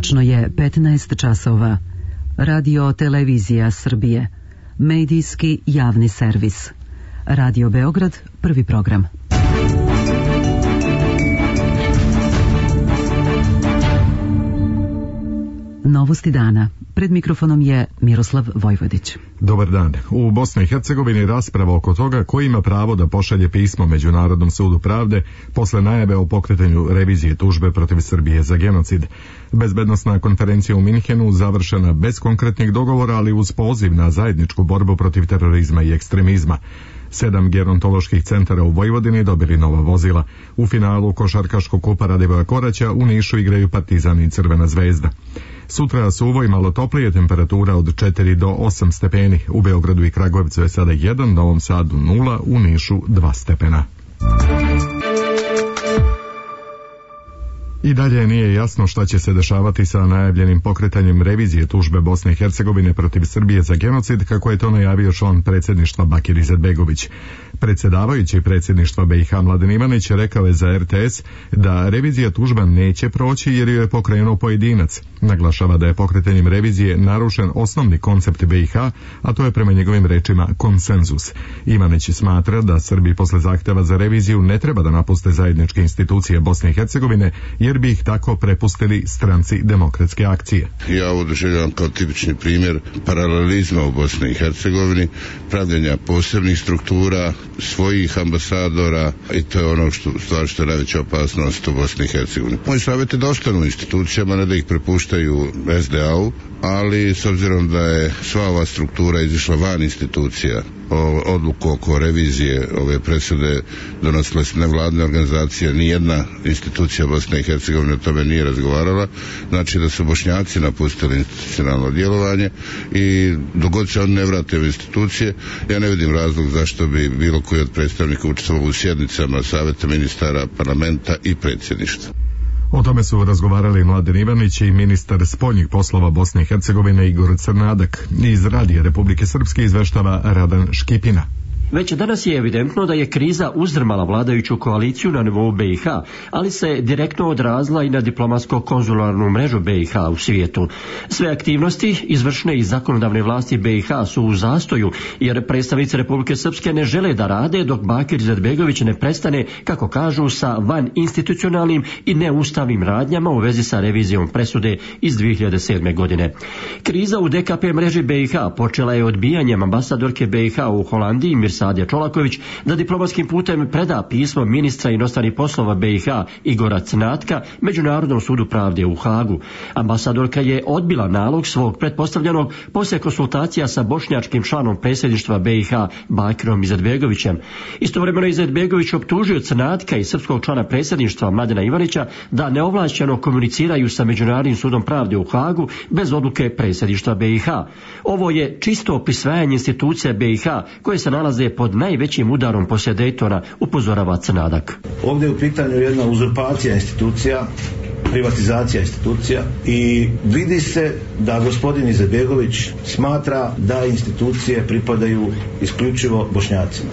Tačno je 15 časova. Radio Televizija Srbije. Medijski javni servis. Radio Beograd, prvi program. Novosti dana. Pred mikrofonom je Miroslav Vojvodić. Dobar dan. U Bosni i Hercegovini rasprava oko toga ko ima pravo da pošalje pismo Međunarodnom sudu pravde posle najave o pokretanju revizije tužbe protiv Srbije za genocid. Bezbednosna konferencija u Minhenu završena bez konkretnih dogovora, ali uz poziv na zajedničku borbu protiv terorizma i ekstremizma. 7 gerontoloških centara u Vojvodini dobili nova vozila. U finalu košarkaškog kupa Radivoja Koraća u Nišu igraju Partizan i Crvena zvezda. Sutra suvo i malo toplije, temperatura od 4 do 8 stepeni. U Beogradu i Kragujevcu je sada 1, Novom Sadu 0, u Nišu 2 stepena. I dalje nije jasno šta će se dešavati sa najavljenim pokretanjem revizije tužbe Bosne i Hercegovine protiv Srbije za genocid, kako je to najavio član predsjedništva Bakir Izetbegović. Predsjedavajući predsjedništva BiH Mladen Ivanić rekao je za RTS da revizija tužba neće proći jer ju je pokrenuo pojedinac. Naglašava da je pokretanjem revizije narušen osnovni koncept BiH, a to je prema njegovim rečima konsenzus. Ivanić smatra da Srbi posle zahtjeva za reviziju ne treba da napuste zajedničke institucije Bosne i Hercegovine, jer bi ih tako prepustili stranci Demokratske akcije. Ja ovo doživljavam kao tipični primjer paralelizma u Bosni i Hercegovini, pravljenja posebnih struktura, svojih ambasadora, i to je ono što je najveća opasnost u Bosni i Hercegovini. Moj savjet je da ostanu u institucijama, ne da ih prepuštaju SDA-u, ali s obzirom da je sva ova struktura izišla van institucija, odluku oko revizije ove presude donosile su nevladine organizacije, nijedna institucija Bosne i Hercegovine o tome nije razgovarala, znači da su Bošnjaci napustili institucionalno djelovanje i dogod se oni ne vrate u institucije, ja ne vidim razlog zašto bi bilo koji od predstavnika učestvovao u sjednicama Savjeta ministara, parlamenta i predsjedništva. O tome su razgovarali Mladen Ivanić i ministar spoljnih poslova Bosne i Hercegovine Igor Crnadak. Iz Radija Republike Srpske izveštava Radan Škipina. Već danas je evidentno da je kriza uzdrmala vladajuću koaliciju na nivou BiH, ali se direktno odrazila i na diplomatsko-konzularnu mrežu BiH u svijetu. Sve aktivnosti izvršne i zakonodavne vlasti BiH su u zastoju, jer predstavnici Republike Srpske ne žele da rade dok Bakir Izetbegović ne prestane, kako kažu, sa van institucionalnim i neustavnim radnjama u vezi sa revizijom presude iz 2007. godine. Kriza u DKP mreži BiH počela je odbijanjem ambasadorke BiH u Holandiji Mirsade Čolaković da diplomatskim putem preda pismo ministra inostranih poslova BiH Igora Cnatka Međunarodnom sudu pravde u Hagu. Ambasadorka je odbila nalog svog pretpostavljenog poslije konsultacija sa bošnjačkim članom predsjedništva BiH Bakirom Izetbegovićem. Istovremeno Izetbegović optužio Cnatka i srpskog člana predsjedništva Mladena Ivanića da neovlašćeno komuniciraju sa Međunarodnim sudom pravde u Hagu bez odluke predsjedništva BiH. Ovo je čisto prisvajanje institucija BiH koje se nalaze pod najvećim udarom poslije Daytona, upozorava Crnadak. Ovdje je u pitanju jedna uzurpacija institucija, privatizacija institucija i vidi se da gospodin Izetbegović smatra da institucije pripadaju isključivo Bošnjacima.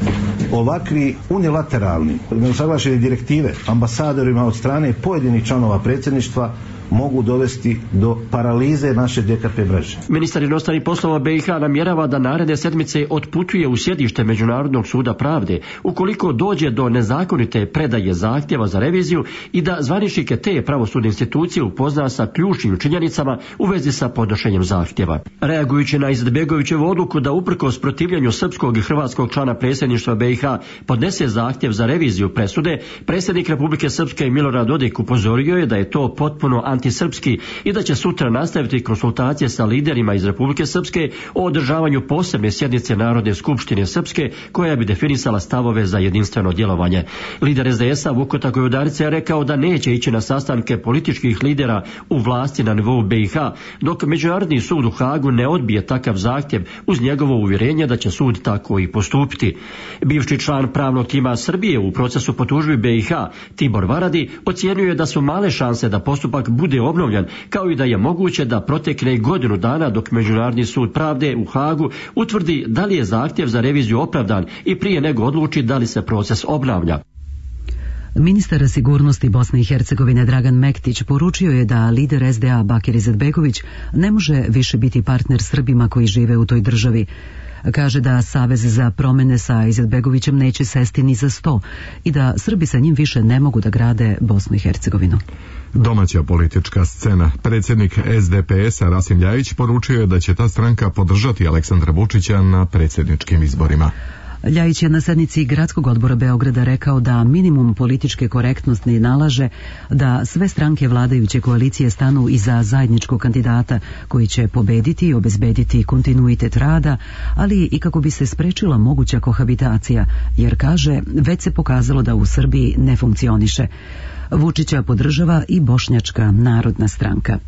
Ovakvi unilateralni, neusaglašene direktive ambasadorima od strane pojedinih članova predsjedništva mogu dovesti do paralize naše DKP mreže. Ministar inostranih poslova BiH namjerava da naredne sedmice otputuje u sjedište Međunarodnog suda pravde ukoliko dođe do nezakonite predaje zahtjeva za reviziju i da zvaničnike te pravosudne institucije upozna sa ključnim činjenicama u vezi sa podnošenjem zahtjeva. Reagujući na Izetbegovićevu odluku da uprkos protivljenju srpskog i hrvatskog člana predsjedništva BiH podnese zahtjev za reviziju presude, predsjednik Republike Srpske Milorad Dodik upozorio je da je to potpuno antisrpski i da će sutra nastaviti konsultacije sa liderima iz Republike Srpske o održavanju posebne sjednice Narodne skupštine Srpske koja bi definisala stavove za jedinstveno djelovanje. Lider SDS-a Vukotak Gojudarica je rekao da neće ići na sastanke političkih lidera u vlasti na nivou BiH dok Međunarodni sud u Hagu ne odbije takav zahtjev uz njegovo uvjerenje da će sud tako i postupiti. Bivši član pravnog tima Srbije u procesu po tužbi BiH Tibor Varadi ocjenjuje da su male šanse da postupak bude obnovljen, kao i da je moguće da protekne godinu dana dok Međunarodni sud pravde u Hagu utvrdi da li je zahtjev za reviziju opravdan i prije nego odluči da li se proces obnavlja. Ministar sigurnosti Bosne i Hercegovine Dragan Mektić poručio je da lider SDA Bakir Izetbegović ne može više biti partner Srbima koji žive u toj državi. Kaže da Savez za promene sa Izetbegovićem neće sesti ni za sto i da Srbi sa njim više ne mogu da grade Bosnu i Hercegovinu. Domaća politička scena. Predsjednik SDP-a Rasim Ljajić poručio je da će ta stranka podržati Aleksandra Vučića na predsjedničkim izborima. Ljajić je na sednici Gradskog odbora Beograda rekao da minimum političke korektnosti nalaže da sve stranke vladajuće koalicije stanu iza zajedničkog kandidata koji će pobediti i obezbediti kontinuitet rada, ali i kako bi se sprečila moguća kohabitacija, jer kaže već se pokazalo da u Srbiji ne funkcioniše. Vučića podržava i Bošnjačka narodna stranka.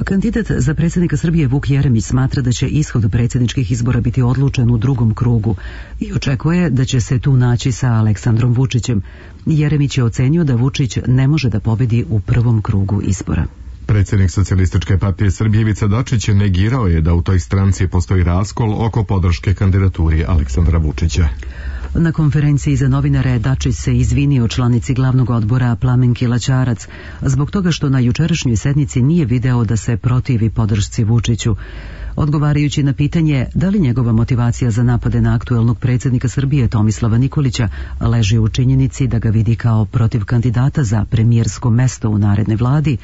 Kandidat za predsjednika Srbije Vuk Jeremić smatra da će ishod predsjedničkih izbora biti odlučen u drugom krugu i očekuje da će se tu naći sa Aleksandrom Vučićem. Jeremić je ocenio da Vučić ne može da pobedi u prvom krugu izbora. Predsjednik Socijalističke partije Srbije Ivica Dačić negirao je da u toj stranci postoji raskol oko podrške kandidaturi Aleksandra Vučića. Na konferenciji za novinare Dačić se izvinio članici glavnog odbora Plamenki Laćarac zbog toga što na jučerašnjoj sednici nije video da se protivi podršci Vučiću. Odgovarajući na pitanje da li njegova motivacija za napade na aktuelnog predsjednika Srbije Tomislava Nikolića leži u činjenici da ga vidi kao protiv kandidata za premijersko mesto u narednoj vladi,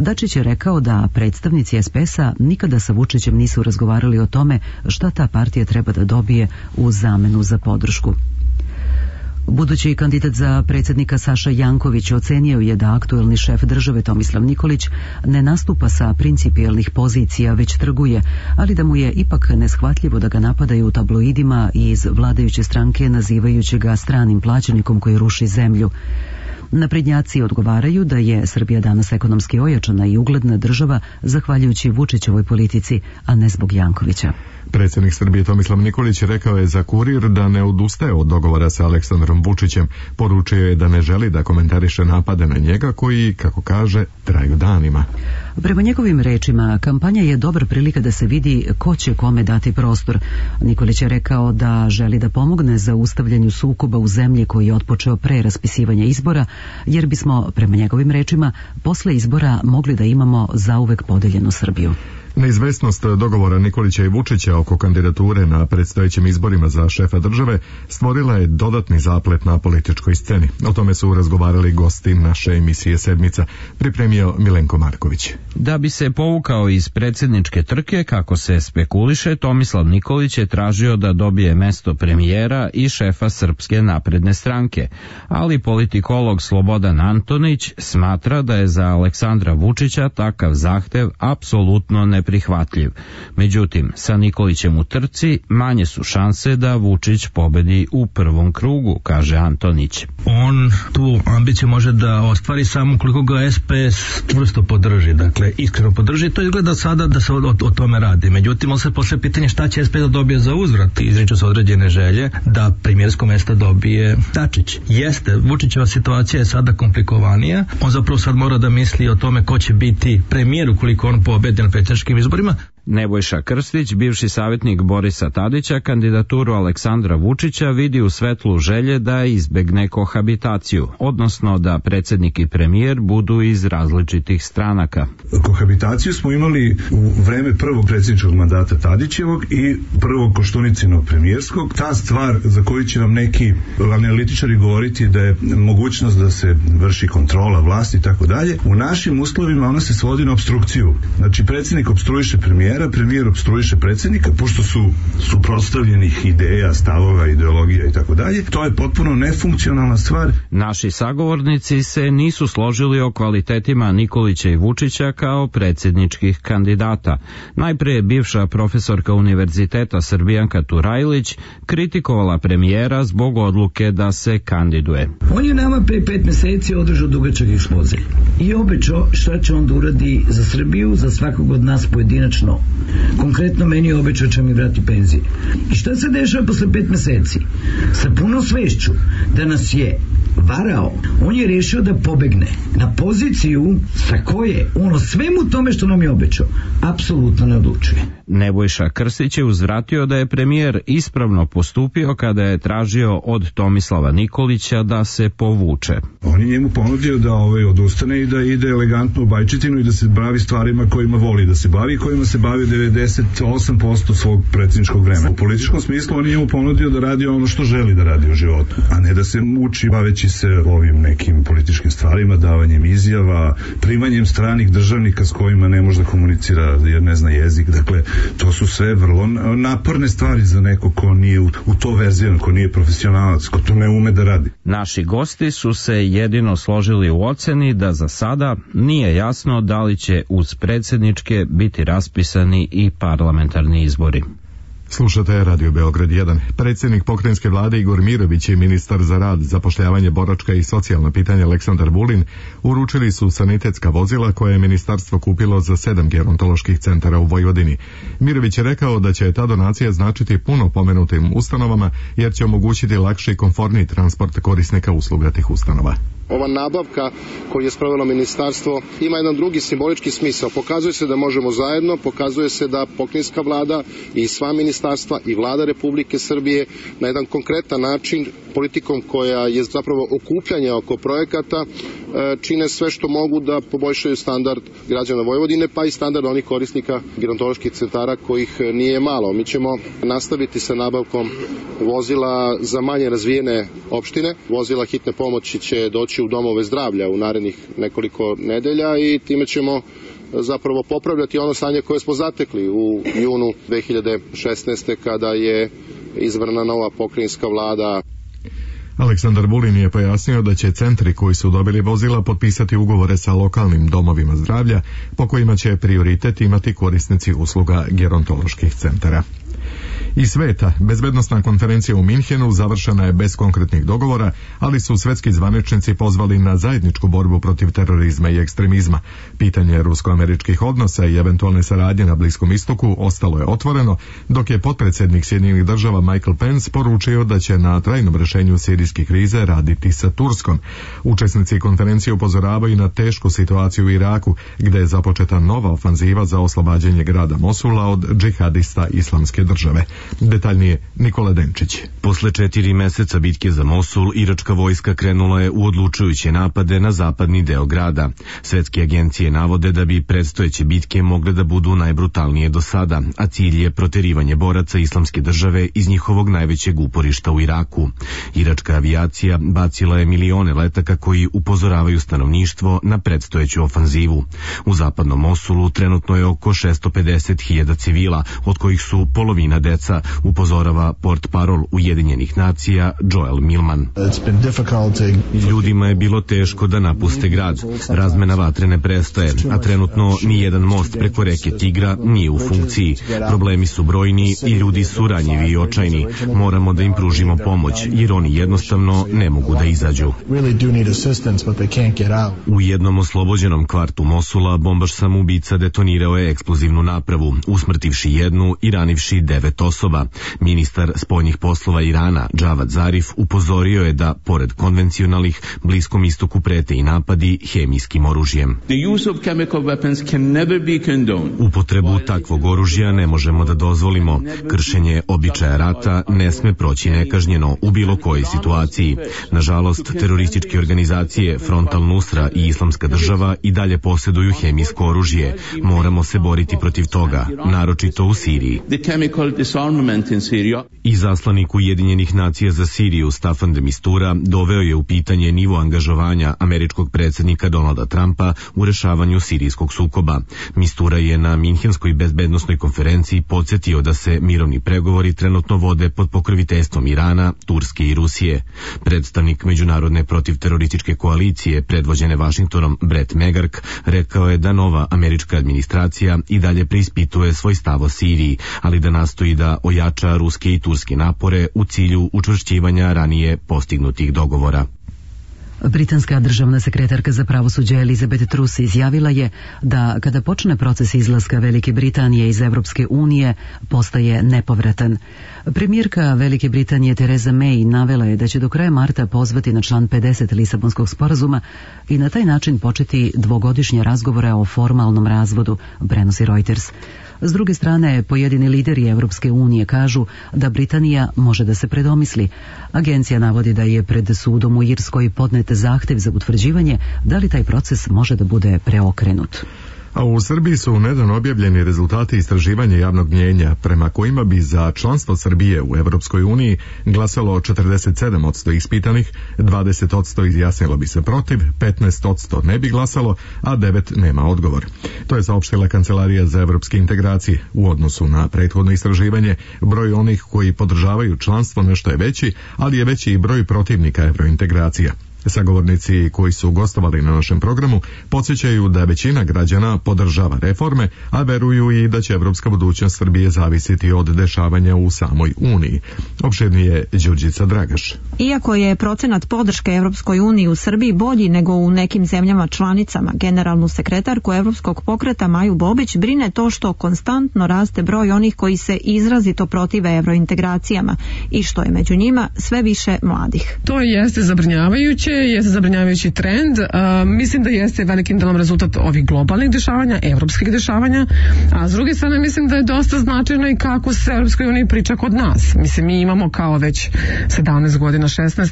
Dačić je rekao da predstavnici SPS-a nikada sa Vučićem nisu razgovarali o tome šta ta partija treba da dobije u zamenu za podršku. Budući kandidat za predsjednika Saša Janković ocenio je da aktuelni šef države Tomislav Nikolić ne nastupa sa principijelnih pozicija, već trguje, ali da mu je ipak neshvatljivo da ga napadaju u tabloidima i iz vladajuće stranke nazivajući ga stranim plaćenikom koji ruši zemlju. Naprednjaci odgovaraju da je Srbija danas ekonomski ojačana i ugledna država zahvaljujući Vučićevoj politici, a ne zbog Jankovića. Predsjednik Srbije Tomislav Nikolić rekao je za Kurir da ne odustaje od dogovora sa Aleksandrom Vučićem. Poručio je da ne želi da komentariše napade na njega koji, kako kaže, traju danima. Prema njegovim rečima, kampanja je dobra prilika da se vidi ko će kome dati prostor. Nikolić je rekao da želi da pomogne za ustavljanju sukoba u zemlji koji je otpočeo pre raspisivanja izbora, jer bismo, prema njegovim rečima, posle izbora mogli da imamo zauvek podeljenu Srbiju. Neizvesnost dogovora Nikolića i Vučića oko kandidature na predstojećim izborima za šefa države stvorila je dodatni zaplet na političkoj sceni. O tome su razgovarali gosti naše emisije Sedmica, pripremio Milenko Marković. Da bi se povukao iz predsjedničke trke, kako se spekuliše, Tomislav Nikolić je tražio da dobije mesto premijera i šefa Srpske napredne stranke, ali politikolog Slobodan Antonić smatra da je za Aleksandra Vučića takav zahtev apsolutno neprihvatljiv. Međutim, sa Nikolićem u trci manje su šanse da Vučić pobedi u prvom krugu, kaže Antonić. On tu ambiciju može da ostvari samo koliko ga SPS čvrsto podrži, dakle iskreno podrži. To izgleda sada da se o tome radi. Međutim, on se posle pitanje šta će SPS da dobije za uzvrat. Izriču se određene želje da premijersko mesto dobije Dačić. Jeste, Vučićeva situacija je sada komplikovanija. On zapravo sad mora da misli o tome ko će biti premijer ukoliko on pobedi na predsjedničkim izborima. Nebojša Krstić, bivši savjetnik Borisa Tadića, kandidaturu Aleksandra Vučića vidi u svetlu želje da izbegne kohabitaciju, odnosno da predsjednik i premijer budu iz različitih stranaka. Kohabitaciju smo imali u vreme prvog predsjedničkog mandata Tadićevog i prvog Koštuničinog premijerskog. Ta stvar za koju će nam neki analitičari govoriti da je mogućnost da se vrši kontrola vlasti i tako dalje, u našim uslovima ona se svodi na opstrukciju. Znači predsjednik opstruiše premijer opstruiše predsjednika, pošto su suprotstavljenih ideja, stavova, ideologija i tako dalje. To je potpuno nefunkcionalna stvar. Naši sagovornici se nisu složili o kvalitetima Nikolića i Vučića kao predsjedničkih kandidata. Najprije je bivša profesorka Univerziteta Srbijanka Turajlić kritikovala premijera zbog odluke da se kandiduje. On je nama pre 5 mjeseci održao dugačak ekspoze i obećao šta će on da uradi za Srbiju, za svakog od nas pojedinačno. Konkretno meni je obećao će mi vrati penzije. I šta se dešava posle 5 mjeseci? Sa punom svešću da nas je varao, on je rešio da pobegne na poziciju sa koje ono svemu tome što nam je obećao apsolutno ne odlučuje. Nebojša Krstić je uzvratio da je premijer ispravno postupio kada je tražio od Tomislava Nikolića da se povuče. On je njemu ponudio da odustane i da ide elegantno u Bajčetinu i da se bavi stvarima kojima voli da se bavi, kojima se bavi 98% svog predsjedničkog vremena. U političkom smislu on je njemu ponudio da radi ono što želi da radi u životu, a ne da se muči baveći se ovim nekim političkim stvarima, davanjem izjava, primanjem stranih državnika s kojima ne može da komunicira jer ne zna jezik. Dakle, to su sve vrlo naporne stvari za neko ko nije u to verzijan, ko nije profesionalac, ko to ne ume da radi. Naši gosti su se jedino složili u oceni da za sada nije jasno da li će uz predsjedničke biti raspisani i parlamentarni izbori. Slušate Radio Beograd 1. Predsjednik pokrajinske vlade Igor Mirović i ministar za rad, zapošljavanje, boračka i socijalna pitanja Aleksandar Vulin uručili su sanitetska vozila koje je ministarstvo kupilo za 7 gerontoloških centara u Vojvodini. Mirović je rekao da će ta donacija značiti puno pomenutim ustanovama jer će omogućiti lakši i komforniji transport korisnika usluga tih ustanova. Ova nabavka koju je sprovelo ministarstvo ima jedan drugi simbolički smisao. Pokazuje se da možemo zajedno, pokazuje se da pokrajinska vlada i sva ministarstva i vlada Republike Srbije na jedan konkretan način, politikom koja je zapravo okupljanje oko projekata, čine sve što mogu da poboljšaju standard građana Vojvodine, pa i standard onih korisnika gerontoloških centara kojih nije malo. Mi ćemo nastaviti sa nabavkom vozila za manje razvijene opštine. Vozila hitne pomoći će doći u domove zdravlja u narednih nekoliko nedelja i time ćemo zapravo popravljati ono stanje koje smo zatekli u junu 2016. kada je izabrana nova pokrajinska vlada. Aleksandar Vulin je pojasnio da će centri koji su dobili vozila potpisati ugovore sa lokalnim domovima zdravlja po kojima će prioritet imati korisnici usluga gerontoloških centara. Iz sveta, bezbednosna konferencija u Minhenu završena je bez konkretnih dogovora, ali su svetski zvaničnici pozvali na zajedničku borbu protiv terorizma i ekstremizma. Pitanje rusko-američkih odnosa i eventualne saradnje na Bliskom istoku ostalo je otvoreno, dok je potpredsjednik Sjedinjenih država Michael Pence poručio da će na trajnom rješenju sirijske krize raditi sa Turskom. Učesnici konferencije upozoravaju na tešku situaciju u Iraku, gdje je započeta nova ofanziva za oslobađanje grada Mosula od džihadista Islamske države. Detaljnije Nikola Denčić. Posle 4 meseca bitke za Mosul, iračka vojska krenula je u odlučujuće napade na zapadni deo grada. Svetske agencije navode da bi predstojeće bitke mogle da budu najbrutalnije do sada, a cilj je proterivanje boraca Islamske države iz njihovog najvećeg uporišta u Iraku. Iračka avijacija bacila je milione letaka koji upozoravaju stanovništvo na predstojeću ofanzivu. U zapadnom Mosulu trenutno je oko 650.000 civila, od kojih su polovina deca, upozorava portparol Ujedinjenih nacija Joel Millman. Ljudima je bilo teško da napuste grad. Razmena vatre ne prestaje, a trenutno ni jedan most preko reke Tigra nije u funkciji. Problemi su brojni i ljudi su ranjivi i očajni. Moramo da im pružimo pomoć, jer oni jednostavno ne mogu da izađu. U jednom oslobođenom kvartu Mosula bombaš samoubica detonirao je eksplozivnu napravu, usmrtivši jednu i ranivši 9 osoba. Ministar spoljnih poslova Irana, Džavad Zarif, upozorio je da, pored konvencionalnih, Bliskom istoku prete i napadi hemijskim oružjem. Upotrebu takvog oružja ne možemo da dozvolimo. Kršenje običaja rata ne sme proći nekažnjeno u bilo kojoj situaciji. Nažalost, terorističke organizacije Front al-Nusra i Islamska država i dalje posjeduju hemijsko oružje. Moramo se boriti protiv toga, naročito u Siriji. Izaslanik Ujedinjenih nacija za Siriju Staffan de Mistura doveo je u pitanje nivo angažovanja američkog predsjednika Donalda Trumpa u rešavanju sirijskog sukoba. Mistura je na Minhenskoj bezbednosnoj konferenciji podsjetio da se mirovni pregovori trenutno vode pod pokroviteljstvom Irana, Turske i Rusije. Predstavnik Međunarodne protivterorističke koalicije predvođene Vašingtonom Brett McGurk rekao je da nova američka administracija i dalje preispituje svoj stav o Siriji, ali da nastoji da ojača ruske i turske napore u cilju učvršćivanja ranije postignutih dogovora. Britanska državna sekretarka za pravosuđe Elizabeth Truss izjavila je da kada počne proces izlaska Velike Britanije iz Evropske unije postaje nepovratan. Premijerka Velike Britanije Theresa May navela je da će do kraja marta pozvati na član 50 Lisabonskog sporazuma i na taj način početi dvogodišnje razgovore o formalnom razvodu, prenosi Reuters. S druge strane, pojedini lideri Europske unije kažu da Britanija može da se predomisli. Agencija navodi da je pred sudom u Irskoj podnet zahtev za utvrđivanje da li taj proces može da bude preokrenut. A u Srbiji su nedavno objavljeni rezultati istraživanja javnog mnijenja prema kojima bi za članstvo Srbije u Evropskoj uniji glasalo 47% ispitanih, 20% izjasnilo bi se protiv, 15% ne bi glasalo, a 9% nema odgovor. To je saopštila Kancelarija za evropske integracije. U odnosu na prethodno istraživanje, broj onih koji podržavaju članstvo nešto je veći, ali je veći i broj protivnika evrointegracija. Sagovornici koji su gostovali na našem programu podsjećaju da većina građana podržava reforme, a veruju i da će evropska budućnost Srbije zavisiti od dešavanja u samoj Uniji. Opširnije Đurđica Dragaš. Iako je procenat podrške Evropskoj uniji u Srbiji bolji nego u nekim zemljama članicama, generalnu sekretarku Evropskog pokreta Maju Bobić brine to što konstantno raste broj onih koji se izrazito protive evrointegracijama i što je među njima sve više mladih. To jeste zabrinjavajuće. Jeste zabrinjavajući trend. Mislim da jeste velikim delom rezultat ovih globalnih dešavanja, evropskih dešavanja, a s druge strane mislim da je dosta značajno i kako se Evropskoj uniji priča kod nas. Mislim, mi imamo kao već 17 godina, 16,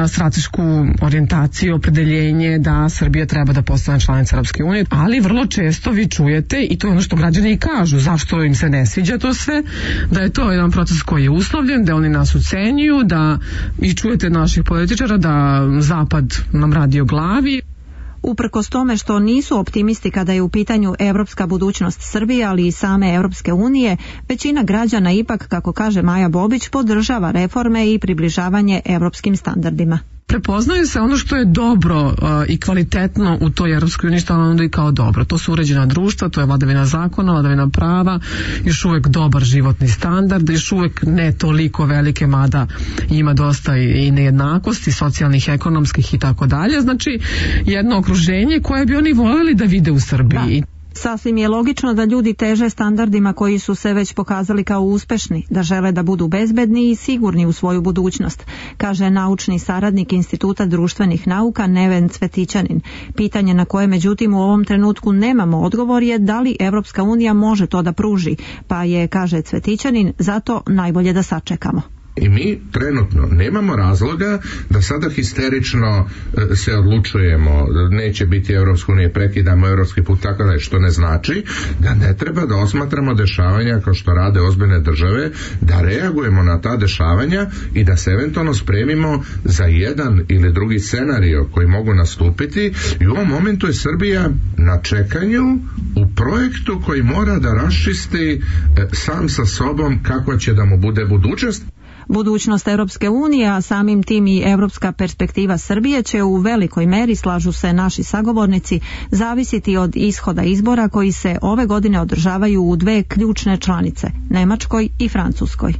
stratešku orijentaciju, opredeljenje da Srbija treba da postane članica Evropske unije, ali vrlo često vi čujete, i to je ono što građani i kažu, zašto im se ne sviđa to sve, da je to jedan proces koji je uslovljen, da oni nas ucenjuju, da i čujete naših političara da Zapad nam radi o glavi. Uprkos tome što nisu optimisti kada je u pitanju evropska budućnost Srbije, ali i same Evropske unije, većina građana ipak, kako kaže Maja Bobić, podržava reforme i približavanje evropskim standardima. Prepoznaju se ono što je dobro i kvalitetno u toj Evropskoj uniji, što onda i kao dobro. To su uređena društva, to je vladavina zakona, vladavina prava, još uvek dobar životni standard, još uvek ne toliko velike, mada ima dosta i nejednakosti, socijalnih, ekonomskih i tako dalje. Znači, jedno okruženje koje bi oni voljeli da vide u Srbiji. Da. Sasvim je logično da ljudi teže standardima koji su se već pokazali kao uspešni, da žele da budu bezbedni i sigurni u svoju budućnost, kaže naučni saradnik Instituta društvenih nauka Neven Cvetićanin. Pitanje na koje međutim u ovom trenutku nemamo odgovor je da li Evropska unija može to da pruži, pa je, kaže Cvetićanin, zato najbolje da sačekamo. I mi trenutno nemamo razloga da sada histerično se odlučujemo, neće biti Evropska unija, prekidamo evropski put, tako da, što ne znači da ne treba da osmatramo dešavanja kao što rade ozbiljne države, da reagujemo na ta dešavanja i da se eventualno spremimo za jedan ili drugi scenario koji mogu nastupiti. I u ovom momentu je Srbija na čekanju u projektu koji mora da raščisti sam sa sobom kakva će da mu bude budućnost. Budućnost Europske unije, a samim tim i evropska perspektiva Srbije će u velikoj meri, slažu se naši sagovornici, zavisiti od ishoda izbora koji se ove godine održavaju u dve ključne članice, Nemačkoj i Francuskoj.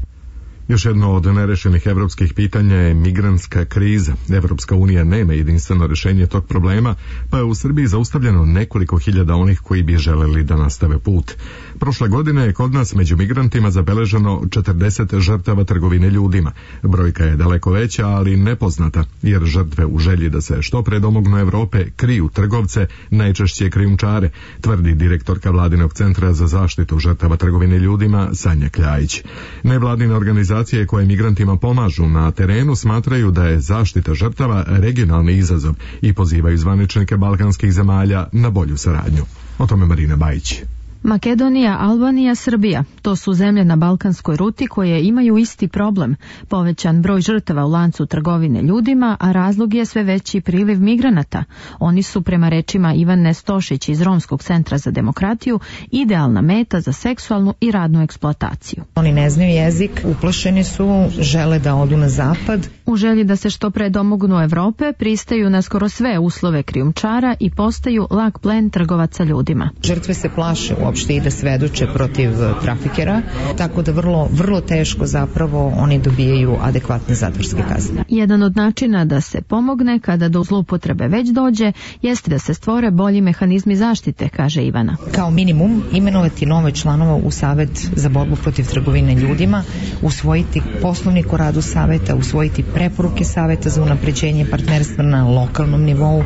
Još jedno od nerešenih evropskih pitanja je migrantska kriza. Evropska unija nema jedinstveno rješenje tog problema, pa je u Srbiji zaustavljeno nekoliko hiljada onih koji bi želeli da nastave put. Prošle godine je kod nas među migrantima zabeleženo 40 žrtava trgovine ljudima. Brojka je daleko veća, ali nepoznata, jer žrtve u želji da se što pre domognu Evrope kriju trgovce, najčešće krijumčare, tvrdi direktorka Vladinog centra za zaštitu žrtava trgovine ljudima Sanja Kljajić. Nevladine organizacije koje migrantima pomažu na terenu smatraju da je zaštita žrtava regionalni izazov i pozivaju zvaničnike balkanskih zemalja na bolju saradnju. O tome Marina Bajić. Makedonija, Albanija, Srbija, to su zemlje na balkanskoj ruti koje imaju isti problem, povećan broj žrtava u lancu trgovine ljudima, a razlog je sve veći priliv migranata. Oni su, prema rečima Ivane Stošić iz Romskog centra za demokratiju, idealna meta za seksualnu i radnu eksploataciju. Oni ne znaju jezik, uplašeni su, žele da odu na zapad. U želji da se što pre domognu Evrope, pristaju na skoro sve uslove krijumčara i postaju lak plen trgovaca ljudima. Žrtve se plaše uopšte i da svedoče protiv trafikera, tako da vrlo teško zapravo oni dobijaju adekvatne zatvorske kazne. Jedan od načina da se pomogne kada do zloupotrebe već dođe jeste da se stvore bolji mehanizmi zaštite, kaže Ivana. Kao minimum imenovati nove članova u Savet za borbu protiv trgovine ljudima, usvojiti poslovnik o radu saveta, usvojiti preporuke saveta za unapređenje partnerstva na lokalnom nivou,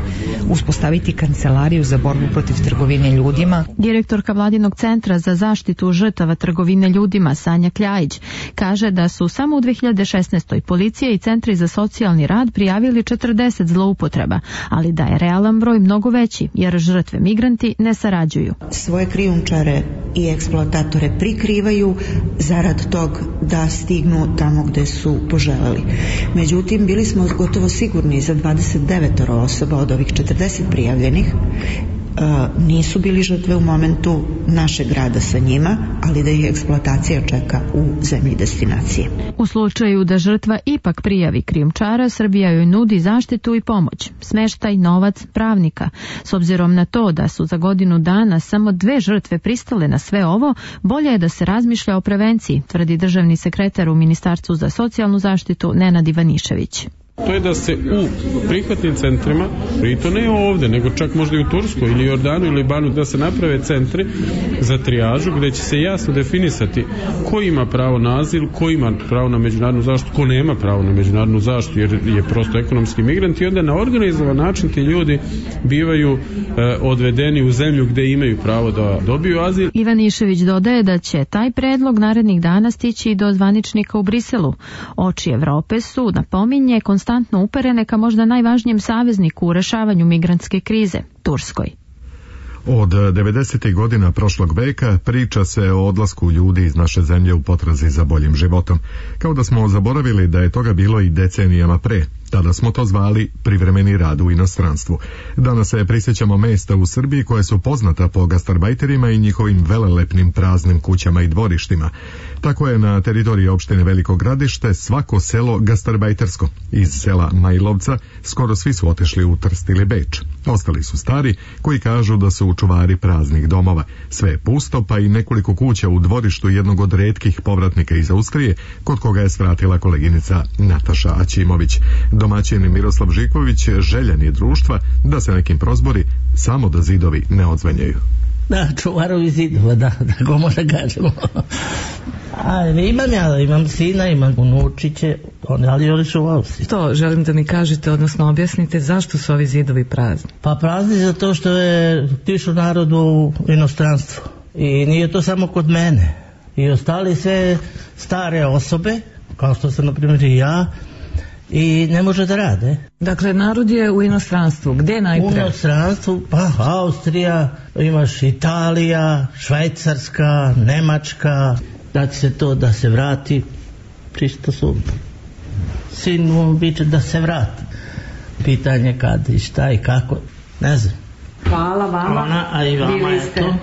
uspostaviti kancelariju za borbu protiv trgovine ljudima. Direktorka Vladinog Vladinog centra za zaštitu žrtava trgovine ljudima Sanja Kljajić kaže da su samo u 2016. policija i centri za socijalni rad prijavili 40 zloupotreba, ali da je realan broj mnogo veći jer žrtve migranti ne sarađuju. Svoje krijumčare i eksploatatore prikrivaju zarad tog da stignu tamo gde su poželeli. Međutim, bili smo gotovo sigurni za 29 osoba od ovih 40 prijavljenih nisu bili žrtve u momentu našeg rada sa njima, ali da ih eksploatacija čeka u zemlji destinacije. U slučaju da žrtva ipak prijavi krijumčara, Srbija joj nudi zaštitu i pomoć, smeštaj, novac, pravnika. S obzirom na to da su za godinu dana samo 2 žrtve pristale na sve ovo, bolje je da se razmišlja o prevenciji, tvrdi državni sekretar u Ministarstvu za socijalnu zaštitu Nenad Ivanišević. To je da se u prihvatnim centrima, i to ne ovde, nego čak možda i u Turskoj ili Jordanu ili Libanu, da se naprave centri za trijažu gde će se jasno definisati ko ima pravo na azil, ko ima pravo na međunarodnu zaštitu, ko nema pravo na međunarodnu zaštitu jer je prosto ekonomski migrant, i onda na organizovan način ti ljudi bivaju odvedeni u zemlju gde imaju pravo da dobiju azil. Ivanišević dodaje da će taj predlog narednih dana stići i do zvaničnika u Briselu. Oči Evrope su, napominje, konstantno uperene ka možda najvažnijem savezniku u rešavanju migrantske krize, Turskoj. Od 90. godina prošlog veka priča se o odlasku ljudi iz naše zemlje u potrazi za boljim životom. Kao da smo zaboravili da je toga bilo i decenijama pre. Tada smo to zvali privremeni rad u inostranstvu. Danas se prisjećamo mesta u Srbiji koje su poznata po gastarbajterima i njihovim velelepnim praznim kućama i dvorištima. Tako je na teritoriji opštine Veliko Gradište svako selo gastarbajtersko. Iz sela Majlovca skoro svi su otišli u Trst ili Beč. Ostali su stari koji kažu da su čuvari praznih domova. Sve je pusto, pa i nekoliko kuća u dvorištu jednog od retkih povratnika iz Austrije, kod koga je svratila koleginica Nataša Aćimović. Domaćin Miroslav Žiković željan je društva da se nekim prozbori, samo da zidovi ne odzvenjaju. Da, čuvarovi zidova, da, tako može kažemo. Imam sina, imam unučiće, ali oni su u Austriji. To želim da mi kažete, odnosno objasnite zašto su ovi zidovi prazni. Pa prazni zato što je tišu narodu u inostranstvu. I nije to samo kod mene. I ostali sve stare osobe, kao što sam na primjer i ja, i ne može da rade. Dakle, narod je u inostranstvu. Gde najpre? U inostranstvu, pa Austrija, imaš Italija, Švajcarska, Nemačka. Da će se to da se vrati, čisto sumnjam. Sin mu biće da se vrati. Pitanje kad i šta i kako, ne znam. Hvala vama. A i vama je to.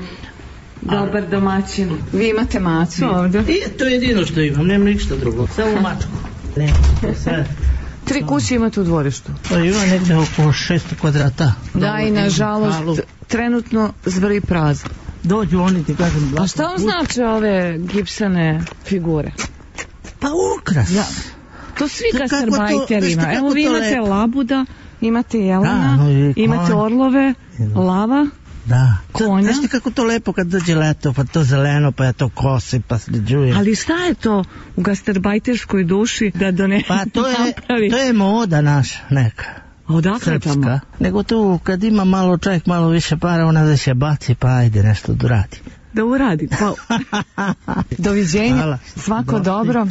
Dobar domaćin. Vi imate macu ovdje? To je jedino što imam, nemam ništa drugo. Samo mačku. Sve. 3 kuće imate u dvorištu? Pa ima negdje oko 600 kvadrata. Da, i nažalost trenutno zvrvi prazno. Dođu oni, ti kažem. A šta vam znači ove gipsane figure? Pa ukras. Ja. To svi gastarbajteri ima. Evo vi imate labuda, imate jelena, imate orlove, lava. Da. Konja. Znaš ti kako to lepo kad dođe leto, pa to zeleno, pa ja to kosi, pa sređuje. Ali šta je to u gastarbajterskoj duši da donese pa to je moda naša neka. Odakle tamo? Nego tu kad ima malo čovjek malo više para, ona da se baci, pa ajde nešto da uradi. Da uradi, pa... Doviđenja, hvala. Svako dobro.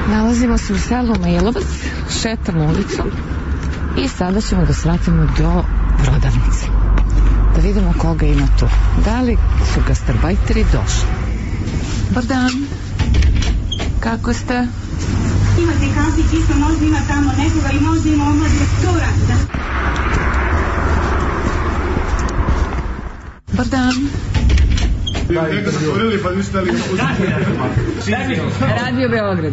Nalazimo se u selu Majlovac, šetamo ulicom i sada ćemo da svratimo do prodavnice. Da vidimo koga ima tu. Da li su gastarbajteri došli? Dobar dan. Kako ste? Imate kafić, isto možda ima tamo nekoga i možda ima omladne stora. Dobar dan. Radio Beograd.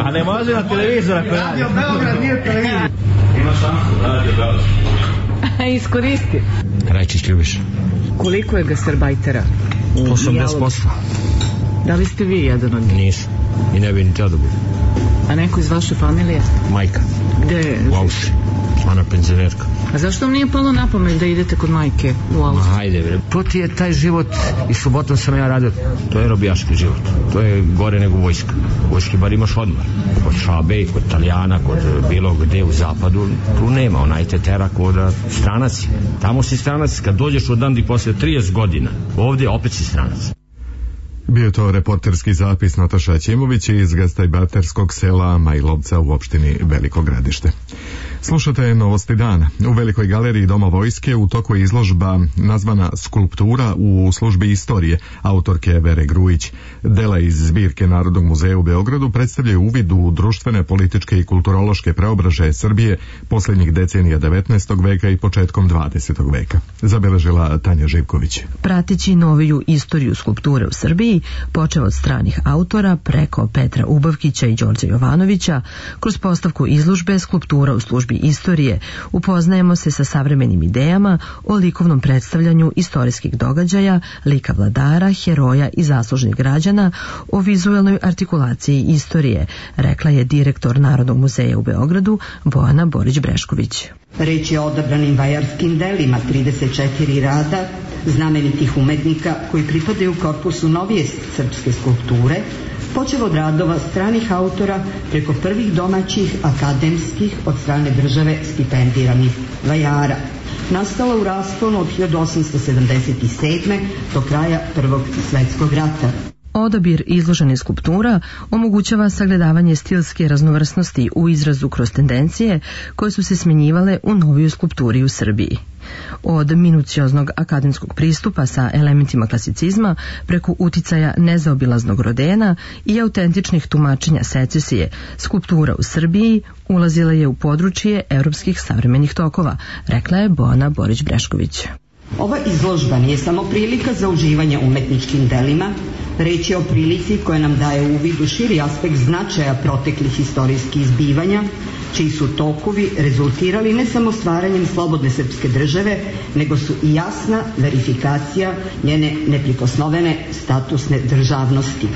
A ne može na televizor ako radi. Radio Beograd nije televizor. Ima šansu, Radio Beograd. Iskoristi. Rajčić ljubiš. Koliko je gastarbajtera? 80%. Da li ste vi jedan od njih? Nisam. I ne bi ni teo da budu. A neko iz vaše familije? Majka. Gde je? U Austriji. Ona penzionerka. A zašto vam nije palo na pamet da idete kod majke u Austriju? Hajde bre, to ti je taj život i subotom sam ja radio, to je robijaški život, to je gore nego vojska. Vojski bar imaš odmor, kod Šabe, kod Italijana, kod bilo gde u zapadu, tu nema, onaj te tera kod stranac. Tamo si stranac kad dođeš od dandi posle 30 godina, ovdje opet si stranac. Bio je to reporterski zapis Nataša Ćimović iz Gastajbaterskog sela Majlovca u opštini Veliko Gradište. Slušate Novosti dana. U Velikoj galeriji Doma vojske u toku je izložba nazvana Skulptura u službi istorije autorke Vere Grujić. Dela iz zbirke Narodnog muzeja u Beogradu predstavljaju uvid u društvene, političke i kulturološke preobražaje Srbije posljednjih decenija 19. veka i početkom 20. veka. Zabeležila Tanja Živković. Prateći noviju istoriju skulpture u Srbiji, počeo od stranih autora preko Petra Ubavkića i Đorđa Jovanovića, kroz postavku izložbe Skulptura u službi istorije upoznajemo se sa savremenim idejama o likovnom predstavljanju istorijskih događaja, lika vladara, heroja i zaslužnih građana, o vizuelnoj artikulaciji istorije, rekla je direktor Narodnog muzeja u Beogradu Bojana Borić-Brešković. Reč je o odabranim vajarskim delima 34 rada znamenitih umetnika koji pripadaju korpusu novije srpske skulpture, počev od radova stranih autora preko prvih domaćih akademskih od strane države stipendiranih vajara. Nastala u rasponu od 1877. do kraja Prvog svjetskog rata. Odabir izloženih skulptura omogućava sagledavanje stilske raznovrsnosti u izrazu kroz tendencije koje su se smjenjivale u novijoj skulpturi u Srbiji. Od minucioznog akademskog pristupa sa elementima klasicizma preko uticaja nezaobilaznog Rodena i autentičnih tumačenja secesije, skulptura u Srbiji ulazila je u područje evropskih savremenih tokova, rekla je Bojana Borić-Brešković. Ova izložba nije samo prilika za uživanje umetničkim delima, reč je o prilici koja nam daje uvid u širi aspekt značaja proteklih istorijskih zbivanja, čiji su tokovi rezultirali ne samo stvaranjem slobodne srpske države, nego su i jasna verifikacija njene neprikosnovene statusne državnosti.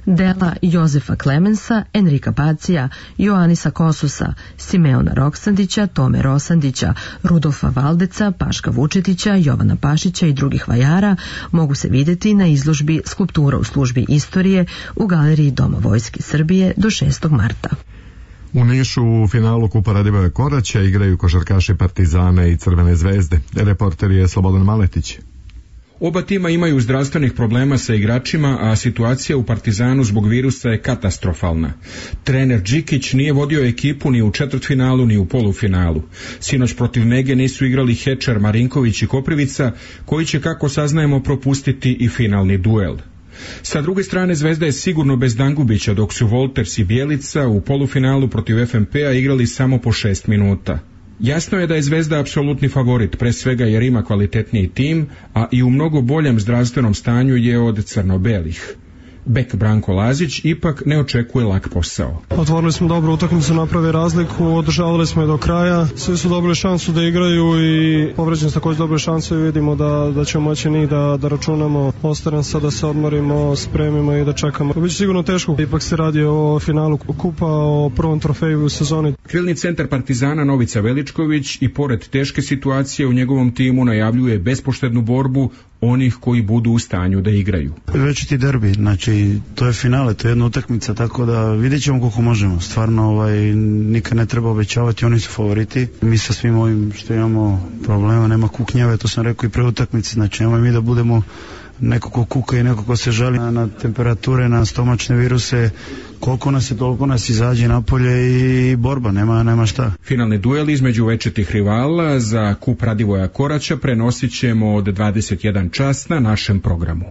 Dela Jozefa Klemensa, Enrika Pacija, Joanisa Kosusa, Simeona Roksandića, Tome Rosandića, Rudolfa Valdeca, Paška Vučetića, Jovana Pašića i drugih vajara mogu se vidjeti na izložbi Skulptura u službi istorije u galeriji Doma vojske Srbije do 6. marta. U Nišu u finalu Kupa Radivoja Koraća igraju košarkaši Partizana i Crvene zvezde. Reporter je Slobodan Maletić. Oba tima imaju zdravstvenih problema sa igračima, a situacija u Partizanu zbog virusa je katastrofalna. Trener Đikić nije vodio ekipu ni u četvrtfinalu ni u polufinalu. Sinoć protiv Nege nisu igrali Hečar, Marinković i Koprivica, koji će, kako saznajemo, propustiti i finalni duel. Sa druge strane, Zvezda je sigurno bez Dangubića, dok su Wolters i Bjelica u polufinalu protiv FNP-a igrali samo po 6 minuta. Jasno je da je Zvezda apsolutni favorit, pre svega jer ima kvalitetniji tim, a i u mnogo boljem zdravstvenom stanju je od crno-belih. Bek Branko Lazić ipak ne očekuje lak posao. Otvorili smo dobru utakmicu, napravi razliku, održavali smo je do kraja, svi su dobili šansu da igraju i povređeni također dobili šansu i vidimo da ćemo moći njih da računamo. Ostaje sad da se odmorimo, spremimo i da čekamo. Biće sigurno teško, ipak se radi o finalu kupa, o prvom trofeju u sezoni. Krilni centar Partizana Novica Veličković i pored teške situacije u njegovom timu najavljuje bespoštednu borbu onih koji budu u stanju da igraju. Već ti derbi, znači to je finale, to je jedna utakmica, tako da vidjet ćemo koliko možemo. Stvarno nikad ne treba obećavati, oni su favoriti. Mi sa svim ovim što imamo problema, nema kuknjave, to sam rekao i pre utakmice, znači nemoj mi da budemo neko ko kuka i neko ko se žali na temperature, na stomačne viruse. Koliko nas je, toliko nas izađe napolje i borba, nema šta. Finalni duel između večitih rivala za Kup Radivoja Koraća prenosit ćemo od 21 čas na našem programu.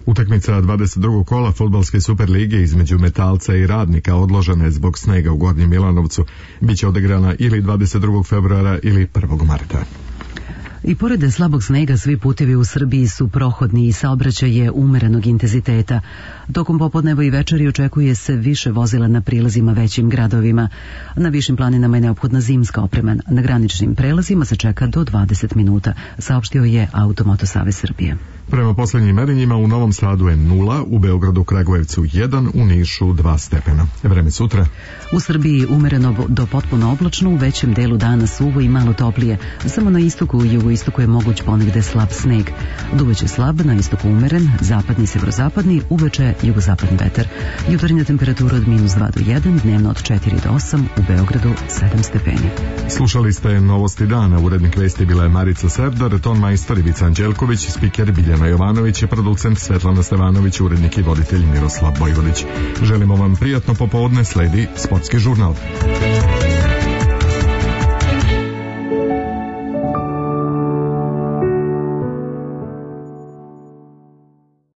Utakmica 22. kola fudbalske Superlige između Metalca i Radnika odložena je zbog snega u Gornjem Milanovcu. Biće odigrana ili 22. februara ili 1. marta. I pored slabog snega svi putevi u Srbiji su prohodni i saobraćaj je umerenog intenziteta. Tokom popodneva i večeri očekuje se više vozila na prilazima većim gradovima. Na višim planinama je neophodna zimska oprema. Na graničnim prelazima se čeka do 20 minuta, saopštio je Automoto Savez Srbije. Prema posljednjim merenjima u Novom Sadu je 0, u Beogradu, Kragujevcu 1, u Nišu 2 stepena. Vreme sutra. U Srbiji umereno do potpuno oblačno, u većem delu dana suvo i malo toplije. Samo na istoku i jugoistoku je moguć ponegde slab sneg. Duveće slab, na istoku umeren, zapadni i severozapadni, uveče jugozapadni vetar. Jutarnja temperatura od -2 do 1, dnevno od 4 do 8, u Beogradu 7 stepeni. Slušali ste Novosti dana, urednik vesti bila je Marica Serdar, ton majstor Ivica Anđelković, spiker Biljana Jovanović, producent Svetlana Stevanović, urednik i voditelj Miroslav Bojvodić. Želimo vam prijatno popodne, sledi Sportski žurnal.